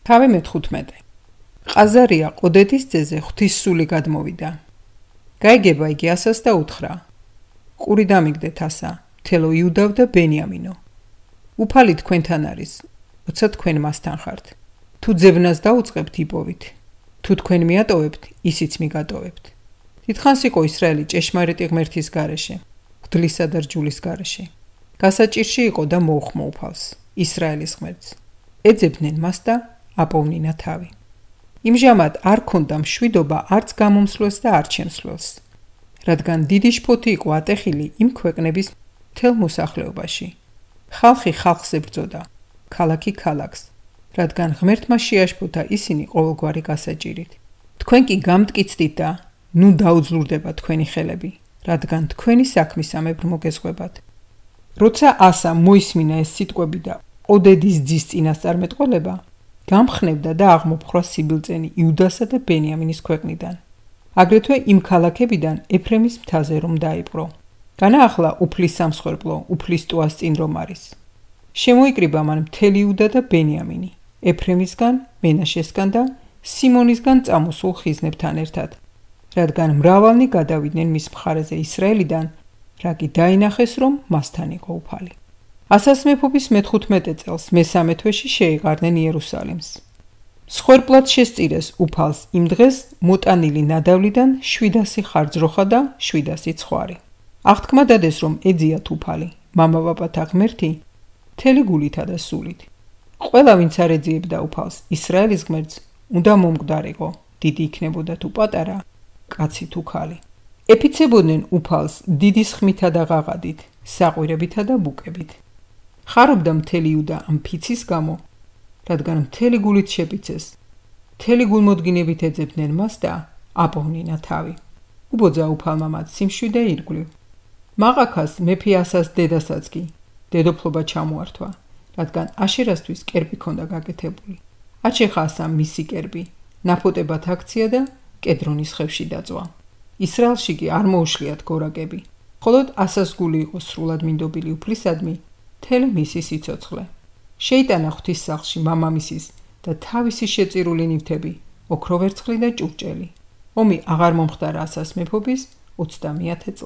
თავი მე-15. ყაზარია ყოდეთის ძეზე ღვთისსული გადმოვიდა. გაიგება იგი ასას და უთხრა: ყური დამიგდეთ ასა, მთელო იუდავ და ბენიამინო. უფალი თქვენთან არის, როცა თქვენ მასთან ხართ. თუ ძებნას დაუწყებთ, იპოვით. თუ თქვენ მიატოვებთ, ისიც მიგატოვებთ. დიდხანს იყო ისრაელი ჭეშმარიტი ღმერთის გარეშე, ღვთლისა და რჯულის გარეშე. გასაჭირში იყო და მოუხმო უფალს, ისრაელის ღმერთს. ეძებდნენ მას და აპოვნინა თავი. იმჟამად არ ქონდა მშვიდობა არც გამომსვლელს და არც შემსვლელს, რადგან დიდი შფოთი იყო ატეხილი იმ ქვეყნების მთელ მოსახლეობაში. ხალხი ხალხს ებრძოდა, ქალაქი ქალაქს, რადგან ღმერთმა შეაშფოთა ისინი ყოველგვარი გასაჭირით. თქვენ კი გამტკიცდით და ნუ დაუძლურდება თქვენი ხელები, რადგან თქვენი საქმისამებრ მოგეზღვებათ. როცა ასა მოისმინა ეს სიტყვები და ყოდედის ძის წინასწარმეტყველება, გამხნევდა და აღმოფხვრა სიბილწენი იუდასა და ბენიამინის ქვეყნიდან. აგრეთვე იმ ქალაქებიდან ეფრემის მთაზე რომ დაიპყრო. განაახლა უფლის სამსხვერპლო, უფლის ტუას წინ რომ არის. შემოიკრიბა მან მთელი იუდა და ბენიამინი, ეფრემისგან, მენაშესგან და სიმონისგან წამოსულ ხიზნებთან ერთად, რადგან მრავალნი გადავიდნენ მის მხარეზე ისრაელიდან, რა კი დაინახეს რომ მასთან იყო უფალი. ასას მეფობის მე-15 წელს მე-3 თვეში შეეყარნენ იერუსალიმს. მსხვერპლად შესწირეს უფალს იმ დღეს მოტანილი ნადავლიდან 700 ხარჯროხა და 700 ცხვარი. აღთქმა დადეს რომ ეძიათ უფალი, მამაპაპათა ღმერთი, მთელი გულითა და სულით. ყველა ვინც არ ეძიებდა უფალს, ისრაელის ღმერთს, უნდა მომკვდარიყო, დიდი იქნებოდა თუ პატარა, კაცი თუ ქალი. ეფიცებოდნენ უფალს დიდი სხმითა და ღაღადით, საყვირებითა და ბუკებით. ხარობდა მთელი იუდა ამ ფიცის გამო, რადგან მთელი გულით შეფიცეს. მთელი გულმოდგინებით ეძებდნენ მას და აპოვნინა თავი. უბოძა უფალმა მათ სიმშვიდე და ირგვლივ. მაყაქას მეფე ასას დედასაც კი დედოფლობა ჩამოართვა, რადგან აშერასთვის კერპი ქონდა გაკეთებული. აჩეხა ასამ მისი კერპი, ნაფოტებად აქცია და კედრონის ხევში დაწვა. ისრაელში კი არ მოუშლიათ გორაკები, მხოლოდ ასას გული იყო სრულად მინდობილი უფლისადმი, მთელი მისი სიცოცხლე. შეიტანა ღვთის სახლში მამამისის და თავისი შეწირული ნივთები, ოქროვერცხლი და ჭურჭელი. ომი აღარ მომხდარა ასას მეფობის 30-ე